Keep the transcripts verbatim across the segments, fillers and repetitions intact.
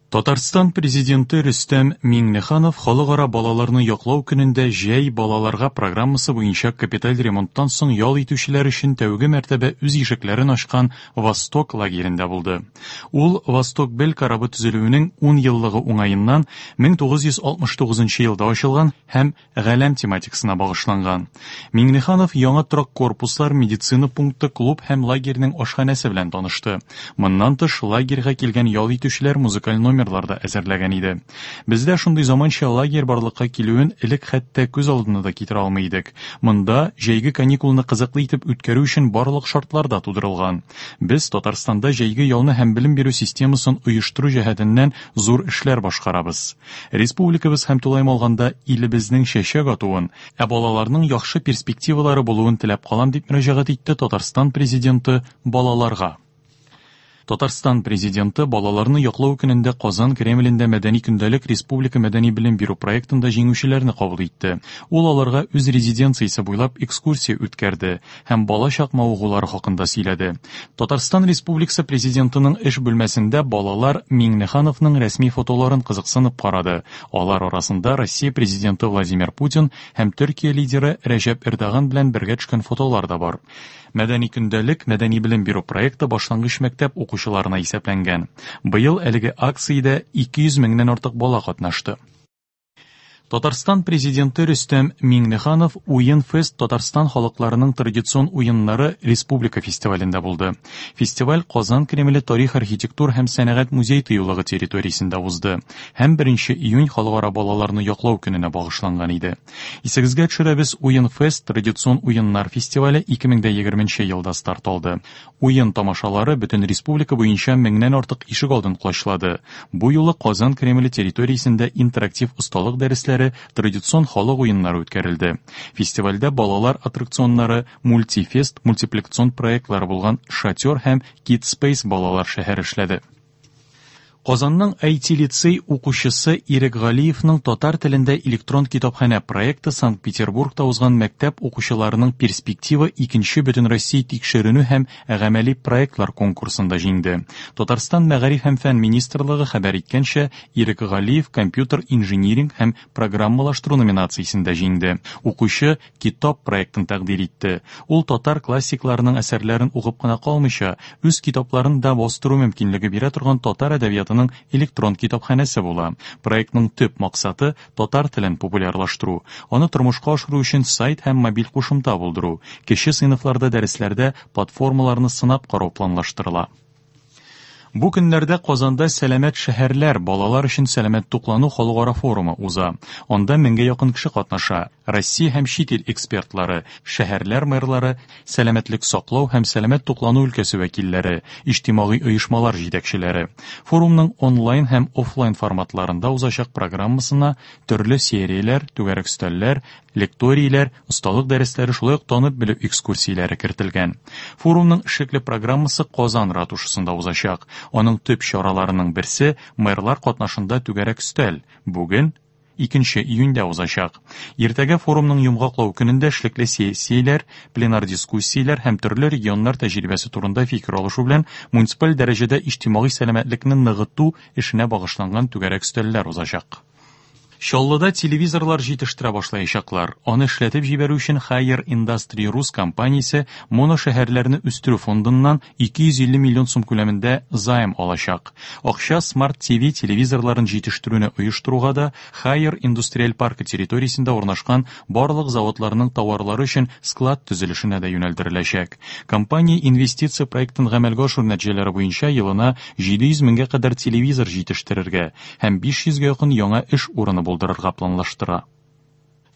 Татарстан Президенты Рөстәм Миңнеханов Халыкара балаларны яклау көнендә Җәй балаларга программасы буенча капиталь ремонттан соң ял итүчеләр өчен тәүге мәртәбә үз ишекләрен ачкан Восток лагерендә булды. Ул Восток-Б корабы төзелүенең ун еллыгы уңаеннан мең тугыз йөз алтмыш тугызынчы елда ачылган һәм галәм тематикасына багышланган. Миңнеханов яңа торак корпуслар, медицина пункты, клуб һәм лагерьнең ашханәсе белән танышты. Моннан тыш, лагерьга килгән ял итүчеләр музыкаль номерлар да әзерләгән иде. Бездә шундый заманча лагерь барлыкка килүен элек хәтта күз алдына да китерә алмый идек. Монда җәйге каникулны кызыклы итеп үткәрү өчен барлык шартлар да тудырылган. Без Татарстанда җәйге ялны һәм белем бирү системасын оештыру җәһәтеннән зур эшләр башкарабыз. Республикабыз һәм тулаем алганда илебезнең чәчәк атуын, ә балаларның яхшы перспективалары булуын теләп калам, дип мөрәҗәгать итте Татарстан Президенты балаларга. Татарстан Президенты балаларны яклау көнендә Казан Кремлендә Мәдәни көндәлек республика мәдәни белем бирү проектында җиңүчеләрне кабул итте. Ул аларга үз резиденциясе буйлап экскурсия үткәрде һәм балачак мавыгулары хакында сөйләде. Татарстан Республикасы Президентының эш бүлмәсендә балалар Миңнехановның рәсми фотоларын кызыксынып карады. Алар арасында Россия Президенты Владимир Путин һәм Төркия лидеры Рәҗәп Эрдоган белән бергә төшкән фотолар да бар. Мәдәни көндәлек мәдәни белем бирү проекты башлангыч мәктәп укучыларына исәпләнгән. Быел әлеге акциядә ике йөз меңнән артык бала катнашты. Татарстан Президенты Рөстәм Миңнеханов Уен Фест Татарстан халыкларының традицион уеннары республика фестивалендә булды. Фестиваль Казан Кремле тарих, архитектур һәм сәнәгать музей тыюлыгы территориясендә узды һәм беренче июнь халыкара балаларны яклау көненә багышланган иде. Исегезгә төшерәбез, Уен Фест традицион уеннар фестивале ике мең дә егерменче елда старт алды. Уен тамашалары бөтен республика буенча меңнән артык ишек алдын колачлады. Бу юлы Казан Кремле территориясендә интерактив осталык дәресләре, традицион халык уеннары үткәрелде. Фестивальдә балалар аттракционнары, мультифест, мультипликацион проектлары булган Шатер һәм Kid Space балалар шәһәре эшләде. Казанның ай ти-лицей укучысы Ирек Галиевның татар телендә электрон китапханә проекты Санкт-Петербургта узган мәктәп укучыларының перспектива икенче Бөтенроссия тикшеренү һәм гамәли проектлар конкурсында җиңде. Татарстан Мәгариф һәм фән министрлыгы хәбәр иткәнчә, Ирек Галиев компьютер инжиниринг һәм программалаштыру номинациясендә җиңде. Укучы китап проектын тәкъдир итте. Ул татар классикларының әсәрләрен укып кына калмыйча, үз китапларын да бастыру мөмкинлеге бирә торган татар әдәбиятының электрон китапханәсе була. Проектның төп максаты татар телен популярлаштыру, аны тормышка ашыру өчен сайт һәм мобиль кушымта булдыру, кече сыйныфларда дәресләрдә платформаларны сынап карау планлаштырыла. Бу көннәрдә Казанда Сәламәт шәһәрләр балалар өчен сәламәт туклану халыкара форумы уза. Анда меңгә якын кеше катнаша. Россия һәм чит ил экспертлары, шәһәрләр мэрлары, сәламәтлек саклау һәм сәламәт туклану өлкәсе вәкилләре, иҗтимагый оешмалар җитәкчеләре. Форумның онлайн һәм офлайн форматларында узачак программасына төрле серияләр, түгәрәк өстәлләр, лекторийләр, осталык дәресләре, шулай ук танып белү экскурсияләре кертелгән. Форумның эшлекле программасы Казан ратушасында узачак. Аның төп чараларының берсе мэрлар катнашында түгәрәк өстәл. Бүген икенче июньдә узачак. Иртәгә форумның йомгаклау көнендә эшлекле сессияләр, пленар дискуссияләр һәм төрле регионнар тәҗрибәсе турында фикер алышу белән муниципаль дәрәҗәдә иҗтимагый сәламәтлекне ныгыту эшенә багышланган түгәрәк өстәлләр узачак. Чаллыда телевизорлар җитештерә башлаячаклар. Аны эшләтеп җибәрү өчен Haier Industry Rus компаниясе моношәһәрләрне үстерү фондыннан ике йөз илле миллион сум күләмендә займ алачак. Акча Smart ти ви телевизорларын җитештерүне оештыруга да Haier Индустриаль паркы территориясендә урнашкан барлык заводларның товарлары өчен склад төзелешенә дә юнәлдереләчәк. Компания инвестиция проектын гамәлгә ашыру нәтиҗәләре буенча елына җиде йөз меңгә кадәр телевизор җитештерергә һәм биш йөзгә якын яңа эш урыны булдырырга планлаштыра.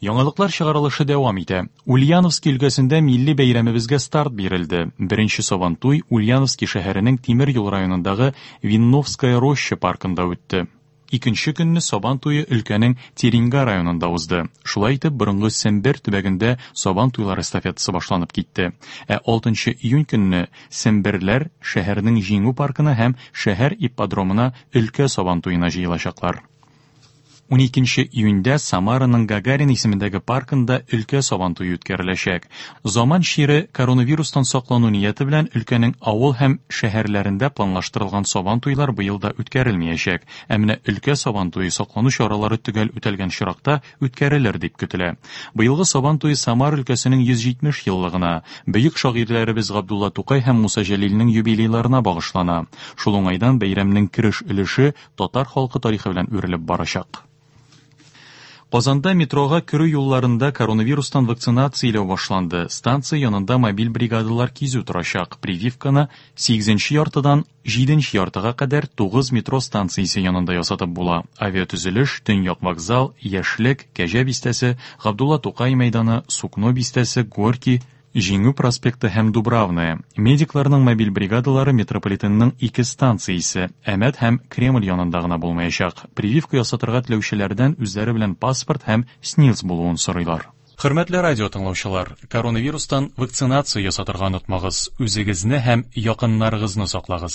Яңалыклар чыгарылышы дәвам итә. Ульяновск өлкәсендә милли бәйрәмебезгә старт бирелде. Беренче Сабантуй Ульяновский шәһәренең Тимер юл районындагы Винновская роща паркында үтте. Икенче көнне Сабан туе өлкәнең Тереньга районында узды. Шулай итеп, борынгы Сембер төбәгендә Сабан туйлар эстафетасы башланып китте. Ә алтынчы июнь көнне Семберләр шәһәрнең Җиңү паркына һәм шәһәр ипподромына өлкә Сабан туена җыелачаклар. Уникенче июньдә Самараның Гагарин исемендәге паркында өлкә Сабантуе үткәреләчәк. Заман чире коронавирустан саклану нияте белән өлкәнең авыл һәм шәһәрләрендә планлаштырылган Сабантуйлар быел да үткәрелмәячәк. Ә менә өлкә Сабантуе саклану чаралары төгәл үтәлгән очракта үткәрелер дип көтелә. Быелгы Сабантуе Самара өлкәсенең йөз җитмеш еллыгына, бөек шагыйрьләребез Габдулла Тукай һәм Муса Җәлилнең юбилейларына багышлана. Шул уңайдан бәйрәмнең кереш өлеше татар халкы тарихы белән үрелеп барачак. Казанда метрога керү юлларында коронавирустан вакцинацияләү башланды. Станция янында мобиль бригадалар кизү торачак. Прививканы сигезенче яртыдан җиденче яртыга кадәр тугыз метро станциясе янында ясатып була. Авиатөзелеш, Төньяк вокзал, Яшьлек, Кәҗә бистәсе, Габдулла Тукай мәйданы, Сукно бистәсе, Горький, Җиңү проспекты һәм Дубравная. Медикларның мобиль бригадалары метрополитенның ике станциясе, Әмәт һәм Кремль янында гына булмаячак. Прививка ясатырга теләүчеләрдән үзләре белән паспорт һәм СНИЛС булуын сорыйлар. Хөрмәтле радио тыңлаучылар, коронавирустан вакцинация ясатырга онытмагыз. Үзегезне һәм якыннарыгызны саклагыз.